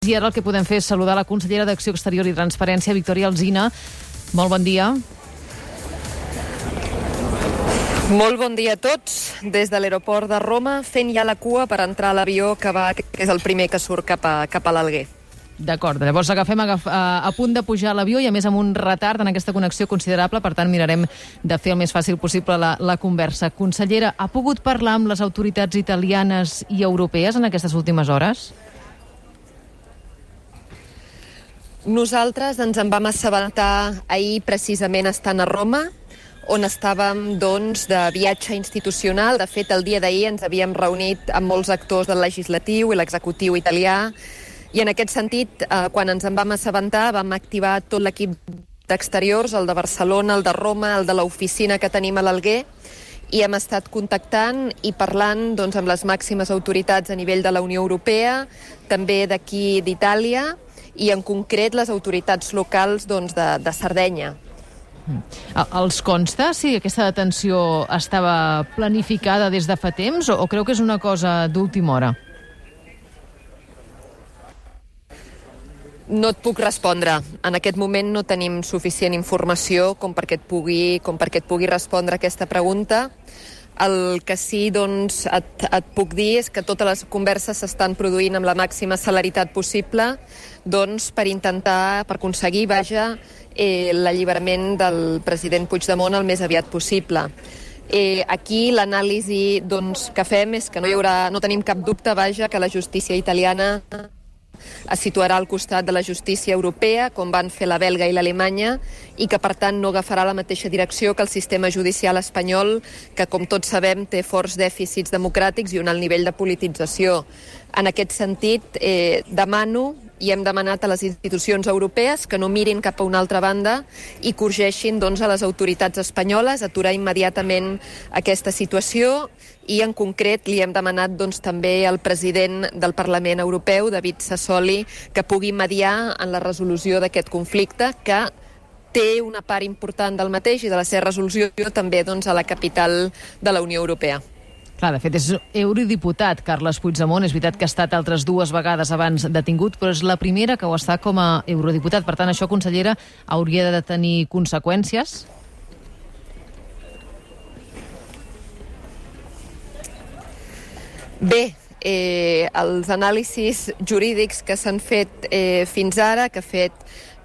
I ara el que podem fer és saludar la consellera d'Acció Exterior i Transparència, Victòria Alsina. Molt bon dia. Molt bon dia a tots. Des de l'aeroport de Roma, fent ja la cua per entrar a l'avió que és el primer que surt cap a l'Alguer. D'acord, llavors agafem a punt de pujar a l'avió i a més amb un retard en aquesta connexió considerable, per tant mirarem de fer el més fàcil possible la conversa. Consellera, ha pogut parlar amb les autoritats italianes i europees en aquestes últimes hores? Nosaltres ens en vam assabentar ahir precisament estant a Roma, on estàvem de viatge institucional. De fet, el dia d'ahir ens havíem reunit amb molts actors del legislatiu i l'executiu italià, i en aquest sentit, quan ens en vam assabentar, vam activar tot l'equip d'exteriors, el de Barcelona, el de Roma, el de l'oficina que tenim a l'Alguer, i hem estat contactant i parlant amb les màximes autoritats a nivell de la Unió Europea, també d'aquí d'Itàlia, i en concret les autoritats locals de Sardenya. Els consta si aquesta detenció estava planificada des de fa temps o creu que és una cosa d'última hora? No et puc respondre. En aquest moment no tenim suficient informació com perquè et pugui respondre aquesta pregunta. El que sí et puc dir és que totes les converses s'estan produint amb la màxima celeritat possible per aconseguir l'alliberament del president Puigdemont el més aviat possible. Aquí l'anàlisi que fem és que no tenim cap dubte que la justícia italiana es situarà al costat de la justícia europea, com van fer la belga i l'alemanya, i que, per tant, no agafarà la mateixa direcció que el sistema judicial espanyol, que, com tots sabem, té forts dèficits democràtics i un alt nivell de politització. En aquest sentit, demano i hem demanat a les institucions europees que no mirin cap a una altra banda i que urgeixin a les autoritats espanyoles aturar immediatament aquesta situació, i en concret li hem demanat també al president del Parlament Europeu, David Sassoli, que pugui mediar en la resolució d'aquest conflicte, que té una part important del mateix i de la seva resolució també a la capital de la Unió Europea. Clar, de fet, és eurodiputat, Carles Puigdemont. És veritat que ha estat altres 2 vegades abans detingut, però és la primera que ho està com a eurodiputat. Per tant, això, consellera, hauria de tenir conseqüències? Bé, els anàlisis jurídics que s'han fet fins ara, que ha fet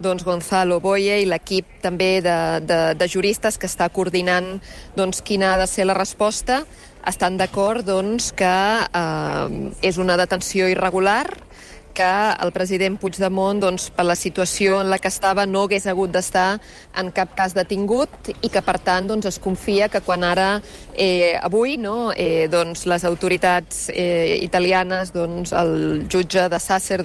Gonzalo Boye i l'equip també de juristes que està coordinant quina ha de ser la resposta, estan d'acord que és una detenció irregular, que el president Puigdemont, per la situació en la que estava, no hagués hagut d'estar en cap cas detingut i que, per tant, es confia que quan avui les autoritats italianes, el jutge de Sàcer,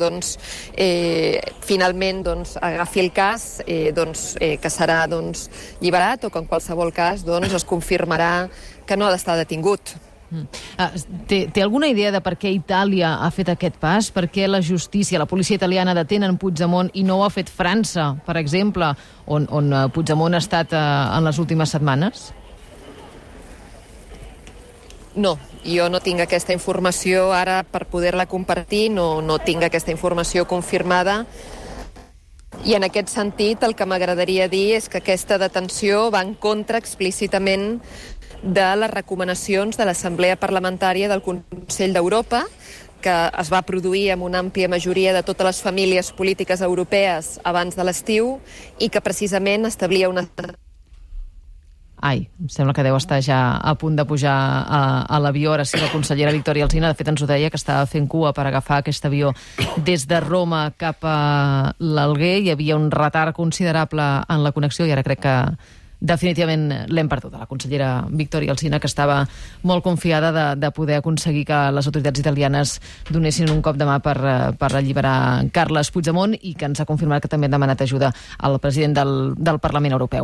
finalment agafi el cas, que serà lliberat, o que en qualsevol cas es confirmarà que no ha d'estar detingut. Té alguna idea de per què Itàlia ha fet aquest pas? Per què la justícia, la policia italiana detenen Puigdemont i no ho ha fet França, per exemple, on Puigdemont ha estat en les últimes setmanes? No, jo no tinc aquesta informació ara per poder-la compartir, no tinc aquesta informació confirmada. I en aquest sentit el que m'agradaria dir és que aquesta detenció va en contra explícitament de les recomanacions de l'Assemblea Parlamentària del Consell d'Europa, que es va produir amb una àmplia majoria de totes les famílies polítiques europees abans de l'estiu i que precisament establia una... Ai, em sembla que deu estar ja a punt de pujar a l'avió. Ara sí, la consellera Victòria Alsina, de fet ens ho deia, que estava fent cua per agafar aquest avió des de Roma cap a l'Alguer. Hi havia un retard considerable en la connexió i ara crec que definitivament l'hem perdut, la consellera Victòria Alsina, que estava molt confiada de poder aconseguir que les autoritats italianes donessin un cop de mà per alliberar Carles Puigdemont i que ens ha confirmat que també han demanat ajuda al president del Parlament Europeu.